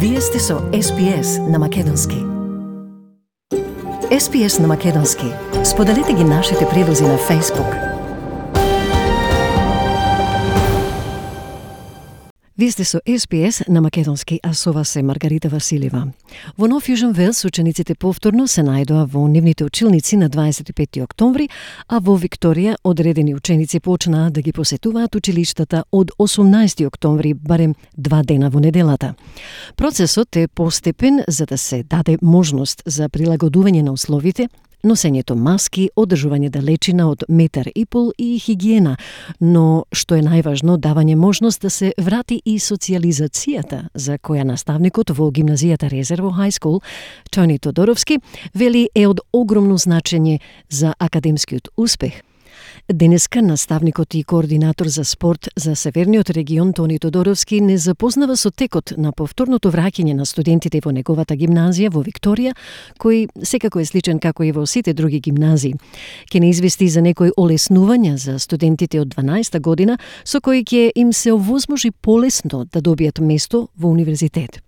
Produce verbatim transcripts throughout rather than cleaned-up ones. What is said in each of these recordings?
Вие сте со Ес Би Ес на Македонски. Ес Би Ес на Македонски. Споделете ги нашите прилози на Facebook. Вие сте со Ес Би Ес на Македонски, а со вас е Маргарита Василева. Во Нов Јужен Велс учениците повторно се најдоа во нивните училници на дваесет и петти октомври, а во Викторија одредени ученици почнаа да ги посетуваат училиштата од осумнаесети октомври, барем два дена во неделата. Процесот е постепен за да се даде можност за прилагодување на условите, носењето маски, одржување далечина од метар и пол и хигиена, но што е најважно, давање можност да се врати и социјализацијата, за која наставникот во гимназијата Резерво High School, Тони Тодоровски, вели е од огромно значење за академскиот успех. Денеска наставникот и координатор за спорт за Северниот регион Тони Тодоровски не запознава со текот на повторното враќање на студентите во неговата гимназија во Викторија, кој секако е сличен како и во сите други гимназии. Ке не извести за некои олеснувања за студентите од дванаесета година, со кои ќе им се овозможи полесно да добијат место во универзитет.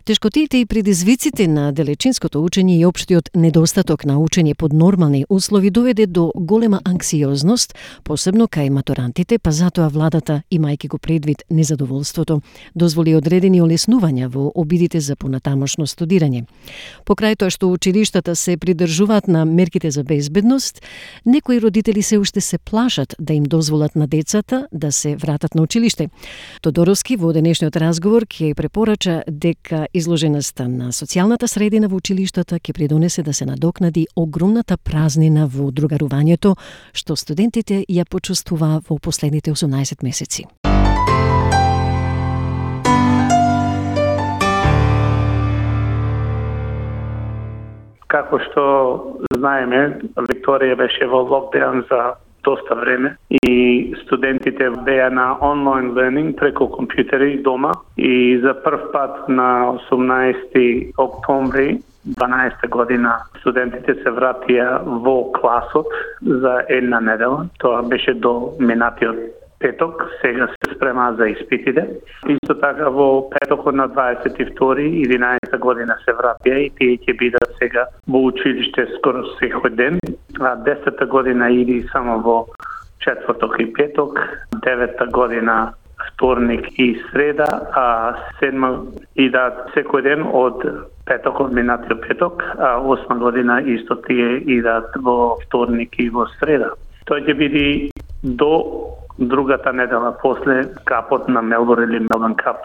Тешкотиите и предизвиците на далечинското учење и општиот недостаток на учење под нормални услови доведе до голема анксиозност, посебно кај матурантите, па затоа владата, имајќи го предвид незадоволството, дозволи одредени олеснувања во обидите за понатамошно студирање. Покрај тоа што училиштата се придржуваат на мерките за безбедност, некои родители се уште се плашат да им дозволат на децата да се вратат на училиште. Тодоровски во денешниот разговор ќе препорача дека изложеноста на социјалната средина во училиштата ќе придонесе да се надокнади огромната празнина во другарувањето што студентите ја почувствуваа во последните осумнаесет месеци. Како што знаеме, Викторија беше во локдаун за доста време и студентите беа на онлайн learning преку компјутери дома и за прв пат на осумнаесети октомври дванаесета година студентите се вратија во класот за една недела. Тоа беше до минатиот петок, сега се спрема за испитите. Исто така во петокот на дваесет и втори единаесета година се вратија и тие ќе бидат сега во училиште скоро секој ден, а десета година иди само во четврток и петок, девета година вторник и среда, а седма идат секој ден од петокот минатиот петок, а осма година исто тие идат во вторник и во среда. Тоа ќе биде до другата недела после капот на Мелбурн или Мелбурн кап.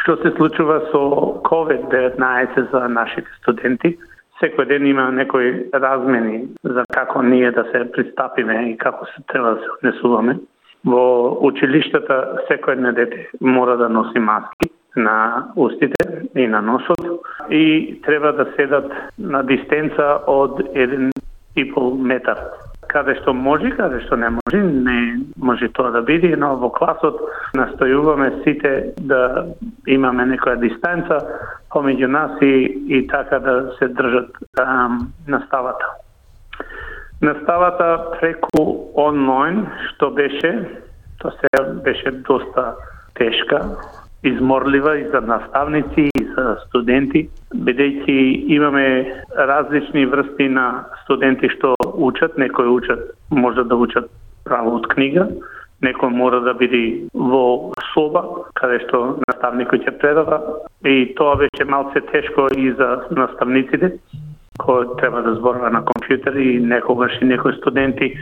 Што се случува со ковид деветнаесет за нашите студенти? Секој ден има некои размени за како ние да се пристапиме и како се треба да се однесуваме. Во училиштата секој едно дете мора да носи маски на устите и на носот и треба да седат на дистанца од еден и пол метар. Каде што може, каде што не може, не може тоа да биде, но во класот настојуваме сите да имаме некоја дистанца помеѓу нас и, и така да се држат ам, наставата. Наставата преку онлайн, што беше, тоа се беше доста тешка, изморлива и за наставници и за студенти, бидејќи имаме различни врсти на студенти што учат, некои учат, може да учат право од книга, некој мора да биде во соба, каде што наставникот ќе предава, и тоа беше малце тешко и за наставниците, кој треба да зборува на компјутер и некогаш и некои студенти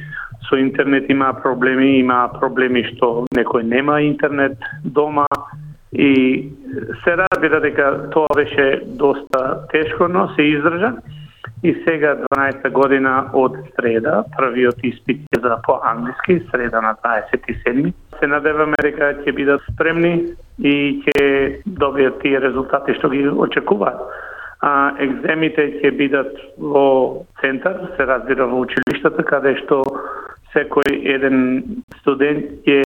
со интернет има проблеми, има проблеми што некој нема интернет дома, и се разбира дека тоа беше доста тешко, но се издржа. И сега дванаесета година од среда, првиот испит е за по-англиски, среда на дваесет и седми. Се надеваме дека ќе бидат спремни и ќе добијат тие резултати што ги очекуваат. А екземите ќе бидат во центар, се разбира во училиштата, каде што секој еден студент е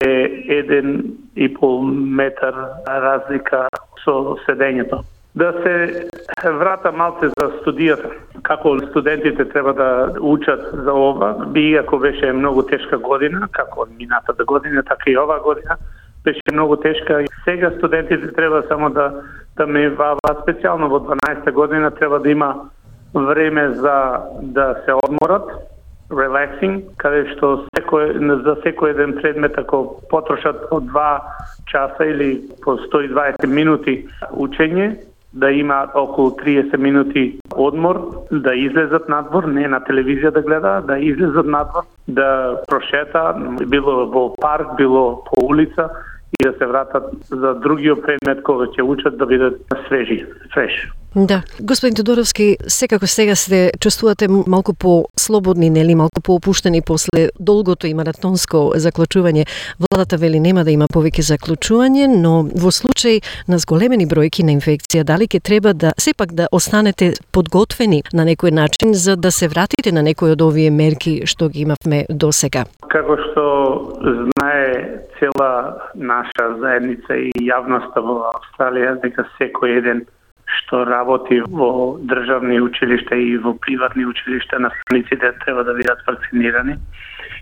еден и пол метар разлика со седењето. Да се врата малце за студијата. Како студентите треба да учат за ова, би ако беше многу тешка година, како минатата година, така и ова година, беше многу тешка. Сега студентите треба само да да ме вава специјално во дванаесета година треба да има време за да се одморат, relaxing, каде што секој за секој еден предмет ако потрошат по два часа или по сто и дваесет минути учење, да има околу триесет минути одмор, да излезат надвор, не на телевизија да гледаат, да излезат надвор, да прошета, било во парк, било по улица и да се вратат за другиот предмет кога ќе учат да бидат свежи, фреш. Да. Господин Тодоровски, секако сега се чувствувате малку по-слободни, нели, малку по-опуштени после долгото и маратонско заклучување. Владата вели нема да има повеќе заклучување, но во случај на зголемени бројки на инфекција, дали ќе треба да сепак да останете подготвени на некој начин за да се вратите на некој од овие мерки што ги имавме досега? Како што знае цела наша заедница и јавноста во Австралија, дека секој еден што работи во државни училишта и во приватни училишта, наставниците треба да бидат вакцинирани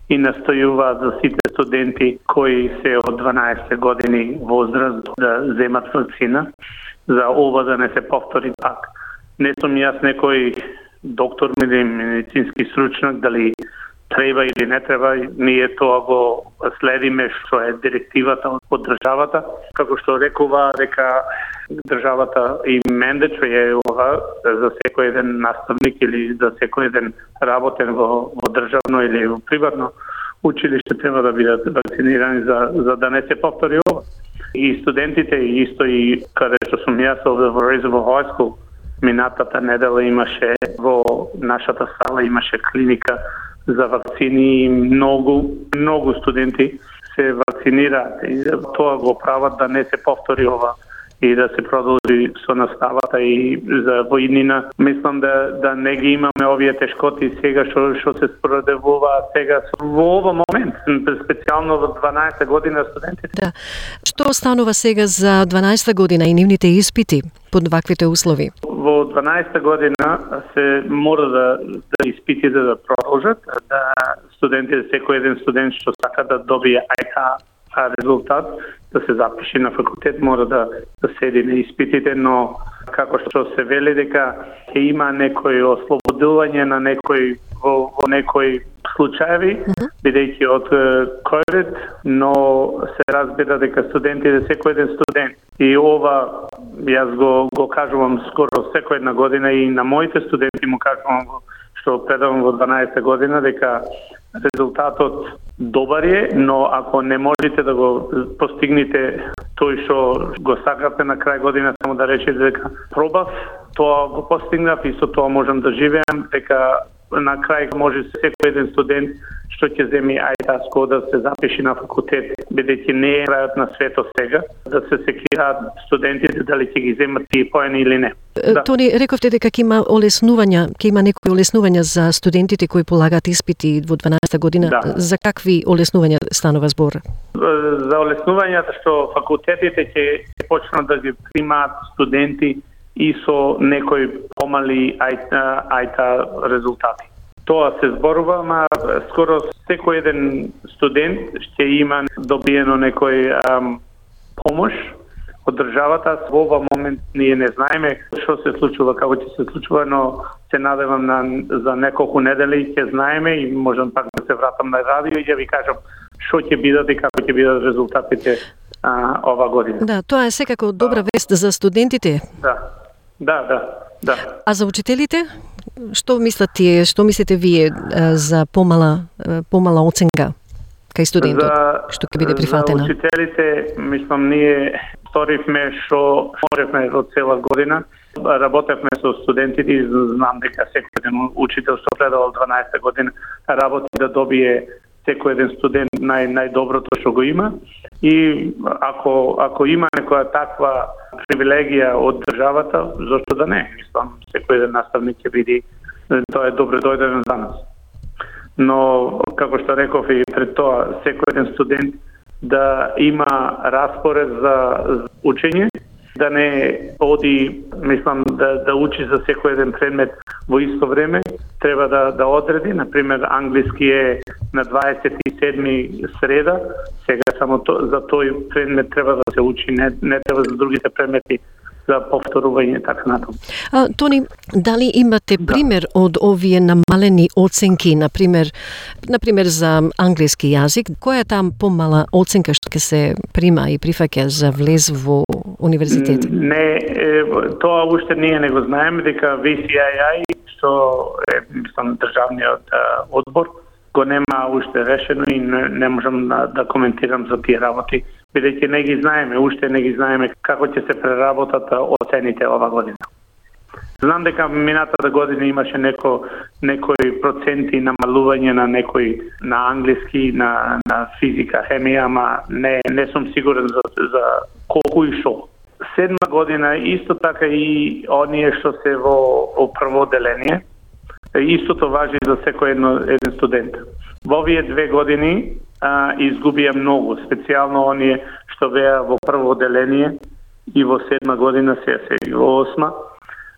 и настојуваат за сите студенти кои се од дванаесет години возраст да земат вакцина, за ова да не се повтори пак. Не сум јас некој доктор или медицински стручнак, дали треба или не треба, ние тоа го следиме што е директивата од државата, како што рекува дека државата и mandatory е ова за секој еден наставник или за секој еден работен во, во државно или во приватно училиште треба да бидат вакцинирани за, за да не се повтори ова. И студентите исто и каде што сум јас овде во Reservoir High School, минатата недела имаше во нашата сала имаше клиника за вакцини и многу, многу студенти се вакцинираат и тоа го прават да не се повтори ова и да се продолжи со наставата и за воиднина. Мислам да да не ги имаме овие тешкоти сега што што се споредуваат сега во овој момент, специјално во дванаесета година студентите. Да. Што останува сега за дванаесета година и нивните испити под ваквите услови? Во дванаесета година се мора да, да испитите да продолжат, да студентите, секој еден студент што сака да добие ајта резултат, да се запише на факултет, мора да, да седи на испитите, но како што се вели дека ќе има некој ослободување на некој во, во некој случаеви, mm-hmm. бидејќи од COVID, но се разбира дека студентите, секој еден студент, и ова јас го, го кажувам скоро секој една година и на моите студенти му кажувам што предавам во дванаесета година дека резултатот добар е, но ако не можете да го постигнете тој што го сакате на крај година, само да речете дека пробав, тоа го постигнав и со тоа можам да живеам, дека на крај може секој еден студент што ќе земи ајтаско да се запиши на факултет, бидејќи не е крајот на светот сега, да се секираат студентите дали ќе ги земат тие поени или не. Да. Тони, рековте дека ќе има олеснувања, ќе има некои олеснувања за студентите кои полагаат испити во дванаесета година. Да. За какви олеснувања станува збор? За олеснувањата што факултетите ќе почнат да ги примаат студенти и со некои помали ајта, ајта резултати. Тоа се зборува, ама скоро секој еден студент ќе има добиено некој ам, помош од државата. Во овој момент ние не знаеме што се случува, како ќе се случува, но се надевам на за неколку недели ќе знаеме и можам пак да се вратам на радио и ќе ви кажам што ќе бидат и како ќе бидат резултатите а, ова година. Да, тоа е секако добра вест за студентите. Да. Да, да, да. А за учителите? Што мислат тие, што мислите вие за помала помала оценка кај студентот, за, што ќе биде прифатена? За учителите, мислам, ние сторивме што можевме во цела година. Работевме со студентите и знам дека секој еден учител што предавал дванаесета година работи да добие секој еден студент нај најдоброто што го има и ако ако има некоја таква привилегија од државата, зошто да не? Мислам, секој еден наставник ќе биде, тоа е добро дојден за нас. Но, како што реков и пред тоа, секој еден студент да има распоред за учење, да не оди, мислам, да, да учи за секој еден предмет во исто време, треба да, да одреди, например, англиски е на дваесет и седми среда, сега само то, за тој предмет треба да се учи, не, не треба за другите предмети за повторување така натаму. А, Тони, дали имате пример да. од овие намалени оценки, например, например за англиски јазик, која е там помала оценка што ќе се прима и прифаќа за влез во универзитет? Не, е, тоа уште ние не го знаеме, дека ви си ај ај, што е мислам државниот одбор, го нема уште решено и не, не можам да, да коментирам за тие работи, бидејќи не ги знаеме, уште не ги знаеме како ќе се преработат оцените ова година. Знам дека минатата година имаше неко, некои проценти намалување на некои на англиски, на, на физика, хемија, ама не, не сум сигурен за, за колку и шо. Седма година исто така и оние што се во, во прво оделение, истото важи за секој едно, еден студент. Во овие две години а, изгубија многу, специјално оние што беа во прво оделение и во седма година, се се и во осма.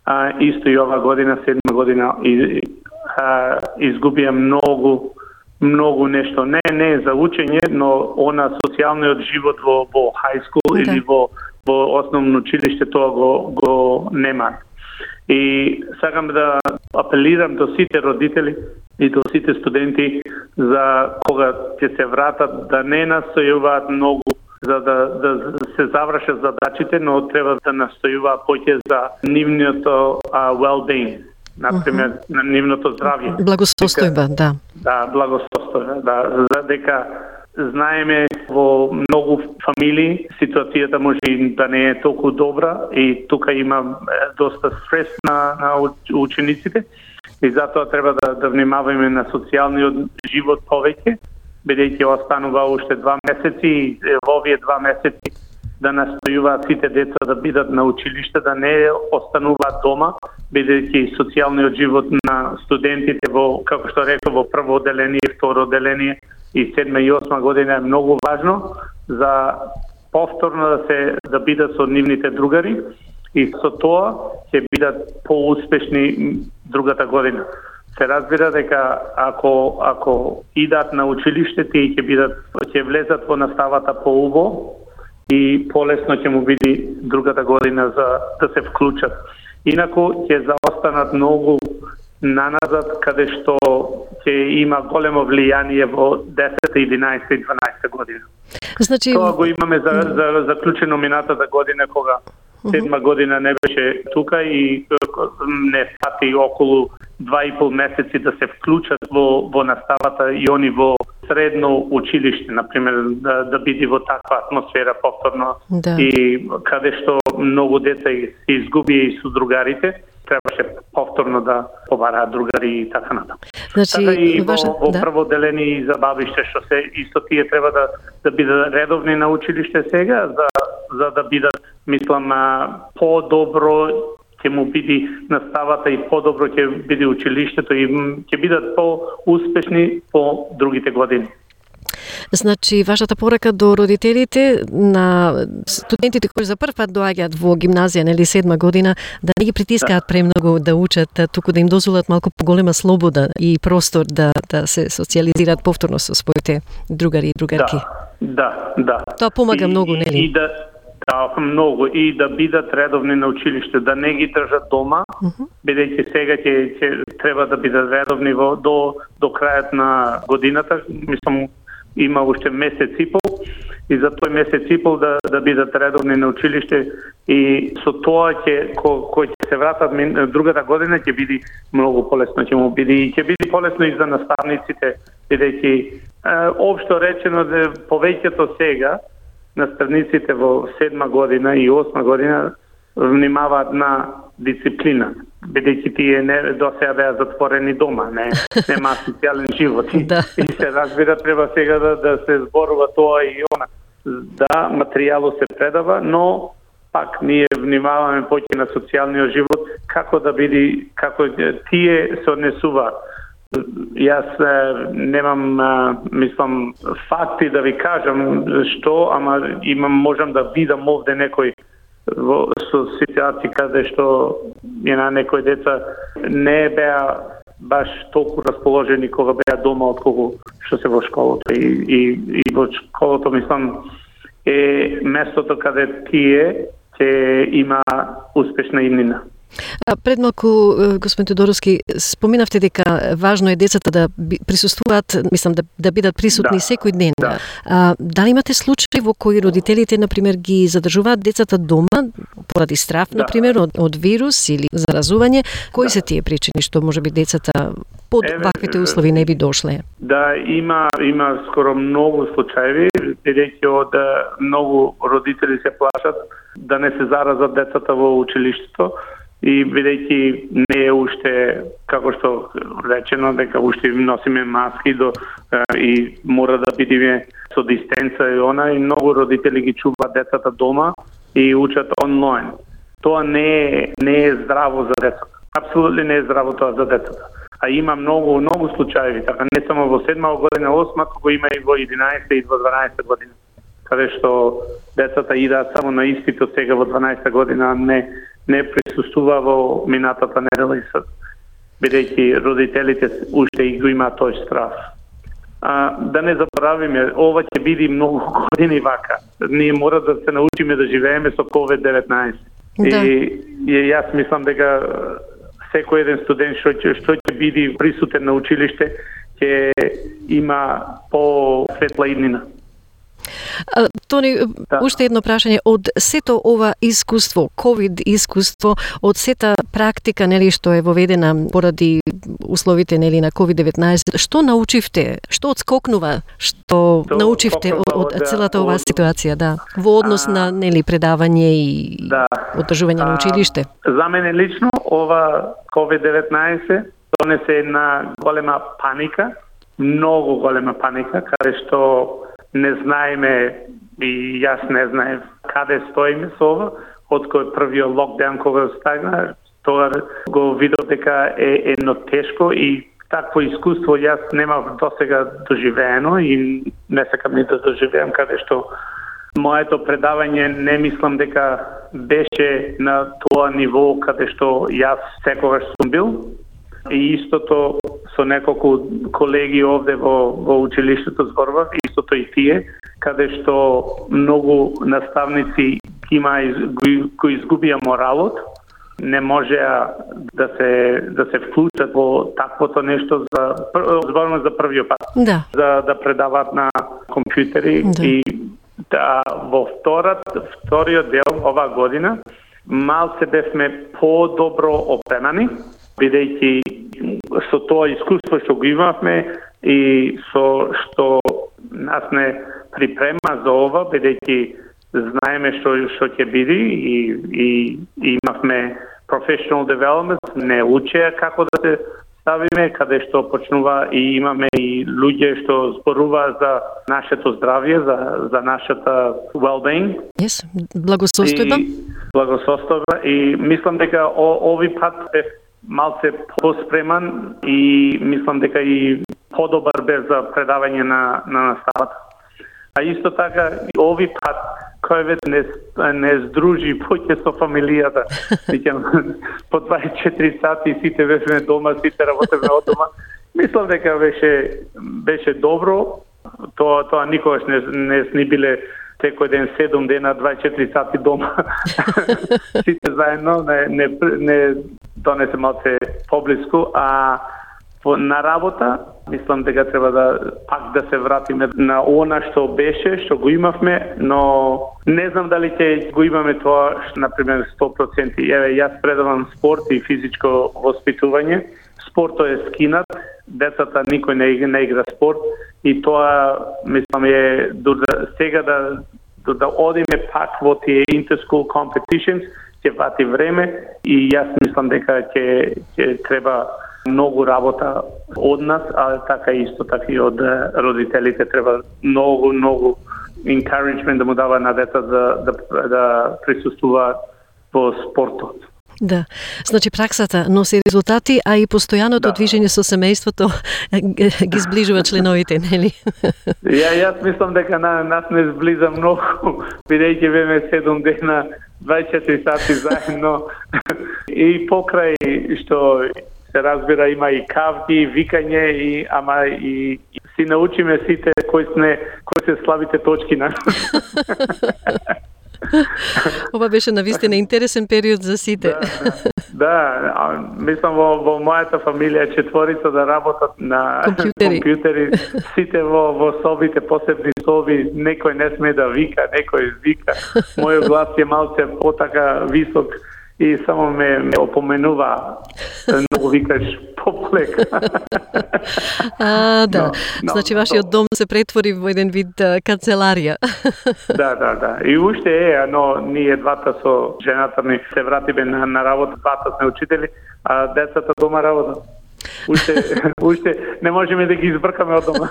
А, исто и ова година, седма година, и, а, изгубија многу, многу нешто. Не, не за учење, но она социјалниот живот во, во high school okay. или во, во основно училиште, тоа го, го нема. И сакам да апелирам до сите родители и до сите студенти за кога ќе се вратат да не настојуваат многу за да, да се завршат задачите, но треба да настојуваат повеќе за нивното uh, well-being, например, uh-huh. на нивното здравје. Благосостојба, да. Да, благосостојба, да, за дека знаеме во многу фамилии ситуацијата може и да не е толку добра и тука има доста стрес на, на учениците и затоа треба да, да внимаваме на социјалниот живот повеќе, бидејќи останува уште два месеци и во овие два месеци да настојуваат сите деца да бидат на училиште, да не остануваат дома, бидејќи социјалниот живот на студентите во, како што реков, во прво оделение и второ оделение и седма и осма година е многу важно за повторно да се да бидат со нивните другари и со тоа ќе бидат поуспешни другата година. Се разбира дека ако ако идат на училиште, тие ќе бидат ќе влезат во наставата поубаво и полесно ќе му биде другата година за да се вклучат. Инаку ќе заостанат многу наназад, каде што ќе има големо влијание во десета, единаесета и дванаесета година. Значи... Тоа го имаме за, за заклучено минатата година, кога седма година не беше тука и не фати околу два и пол месеци да се вклучат во, во наставата и они во средно училиште, например, да, да биде во таква атмосфера повторно да. И каде што многу деца се изгуби и со другарите, требаше повторно да побараат другари и така натаму. Значи, така и во, важа, во да. прво деление и забавиште, што се исто тие треба да да бидат редовни на училиште сега, за за да бидат, мислам, по-добро ќе му биде наставата и по-добро ќе биде училиштето и ќе бидат по-успешни по другите години. Значи, вашата порака до родителите на студентите кои за прв пат доаѓаат во гимназија, нели седма година, да не ги притискаат да. премногу да учат, туку да им дозволат малку поголема слобода и простор да да се социјализираат повторно со своите другари и другарки. Да, да, да. Тоа помага и, многу, нели? И да Да, многу и да бидат редовни на училиште, да не ги држат дома, uh-huh. бидејќи сега ќе, ќе треба да бидат редовни во, до до крајот на годината, мислам има уште месец и пол и за тој месец и пол да да бидат редовни на училиште и со тоа ќе ко, кој ќе се вратат другата година ќе биде многу полесно, ќе му биде и ќе биде полесно и за наставниците, бидејќи општо речено да повеќето сега наставниците во седма година и осма година внимаваат на дисциплина, бидејќи тие не до сега беа затворени дома, не нема социјален живот. Да. И се разбира, треба сега да, да се зборува тоа и она. Да, материјалот се предава, но пак ние внимаваме повеќе на социјалниот живот, како да биде, како тие се однесуваат. Јас немам, мислам, факти да ви кажам што, ама имам, можам да видам овде некој со ситуација каде што една некој деца не беа баш толку расположени кога беа дома отколку што се во школото. И, и, и во школото, мислам, е местото каде тие ќе има успешна иднина. А пред малку, господин Тодоровски, споминавте дека важно е децата да присуствуваат, мислам, да, да бидат присутни да, секој ден. Да. А, дали имате случаи во кои родителите, например, ги задржуваат децата дома поради страв, да. например, од, од вирус или заразување? Кои да. се тие причини што можеби децата под Еве, ваквите услови не би дошле? Да, има има скоро многу случаи, бидејќи од многу родители се плашат да не се заразат децата во училиштето. И бидејќи не е уште, како што речено, дека уште носиме маски до, и мора да бидеме со дистанца и она, и многу родители ги чуваат децата дома и учат онлайн. Тоа не е, не е здраво за децата. Апсолутно не е здраво тоа за децата. А има многу, многу случаи, така не само во седма година, осма, туку има и во единаесета и во дванаесета година, каде што децата идат само на испит сега во дванаесета година, не не присуствува во минатата недела и сад, бидејќи родителите уште и го имаат тој страв. А, да не заборавиме, ова ќе биде многу години вака. Ние мора да се научиме да живееме со ковид деветнаесет. Да. И, и јас мислам дека секој еден студент што ќе што ќе биде присутен на училиште ќе има по-светла иднина. А, Тони, да. уште едно прашање. Од сето ова искуство, ковид искуство, од сета практика, нели, што е воведена поради условите, нели, на ковид деветнаесет, што научивте? Што отскокнува? Што То, научивте од, од целата оваа ситуација, да, во однос а, на, нели, предавање и да, одржување на училиште? За мене лично ова ковид деветнаесет донесе една голема паника, многу голема паника, каде што не знаеме и јас не знаев каде стоиме со ова, од кој првиот локдаун кога стагна, тоа го видов дека е едно тешко и такво искуство јас немав досега доживеено и не сакам ни да доживеам, каде што моето предавање не мислам дека беше на тоа ниво каде што јас секогаш сум бил. И истото со неколку колеги овде во, во училиштето зборував, истото и тие, каде што многу наставници има кои изгубија моралот, не можеа да се да се вклучат во таквото нешто за зборувам за првиот пат. Да. За да предават на компјутери да. И да во вторат вториот дел оваа година малце бевме по-добро опремани, бидејќи со тоа искуство што го имавме и со што нас не припрема за ова, бидејќи знаеме што што ќе биде и, и, и имавме professional development, не учеа како да се ставиме, каде што почнува и имаме и луѓе што зборуваат за нашето здравје, за, за нашата well-being. Yes, благосостојба. Благосостојба и мислам дека о, ови пат е малце поспреман и мислам дека и подобар бе за предавање на, на наставата. А исто така, ови пат, кој не, не здружи поќе со фамилијата. По дваесет и четири сати сите бевме дома, сите работевме од дома. Мислам дека беше, беше добро. Тоа, тоа никогаш не, не сни биле секој ден седум дена, дваесет и четири сати дома. Сите заедно, не, не, не донесе малце поблиску, а на работа, мислам дека треба да пак да се вратиме на она што беше, што го имавме, но не знам дали ќе го имаме тоа, например, сто проценти. Еве, јас предавам спорт и физичко воспитување. Спортот е скинат, децата никој не, не игра спорт и тоа, мислам, е да, сега да, да, да одиме пак во тие inter-school competitions, ќе вати време и јас мислам дека ќе, ќе треба многу работа од нас, а така исто така и од родителите треба многу, многу encouragement да му дава на дета да, да, да присуствуваат во спортот. Да. Значи праксата носи резултати, а и постојаното да. движење со семејството ги зближува членовите, нели? Ја јас мислам дека на нас не зблиза многу, бидејќи беме седум дена, дваесет и четири сати заедно и покрај што се разбира има и кавги, викање и ама и, и си научиме сите кои сме кои се слабите точки на. Ова беше навистина интересен период за сите. Да, да, да, мислам во, во мојата фамилија четворица да работат на компјутери. компјутери, сите во, во собите, посебни соби, некој не сме да вика, некој вика. Мојот глас е малце потака висок и само ме, ме опоменува многу викаш пополека. А, да. Но, но, значи вашиот дом се претвори во еден вид а, канцеларија. Да, да, да. И уште е, но ние двата со жената ми се вратиме на, на работа, двата сме учители, а децата дома работат. Уште, уште не можеме да ги избркаме од дома.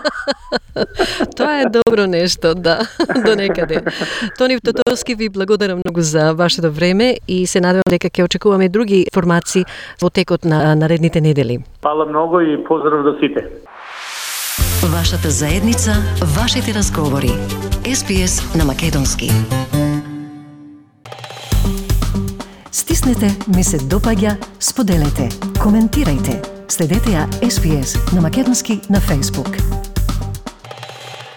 Тоа е добро нешто, да, до некаде. Тони Тотовски, ви благодарам многу за вашето време и се надевам дека ќе очекуваме други информации во текот на наредните недели. Фала многу и поздрав до сите. Вашата заедница, вашите разговори. Ес Би Ес на македонски. Стиснете, ми се допаѓа, споделете, коментирајте. Следете ја Ес Би Ес на македонски на Facebook.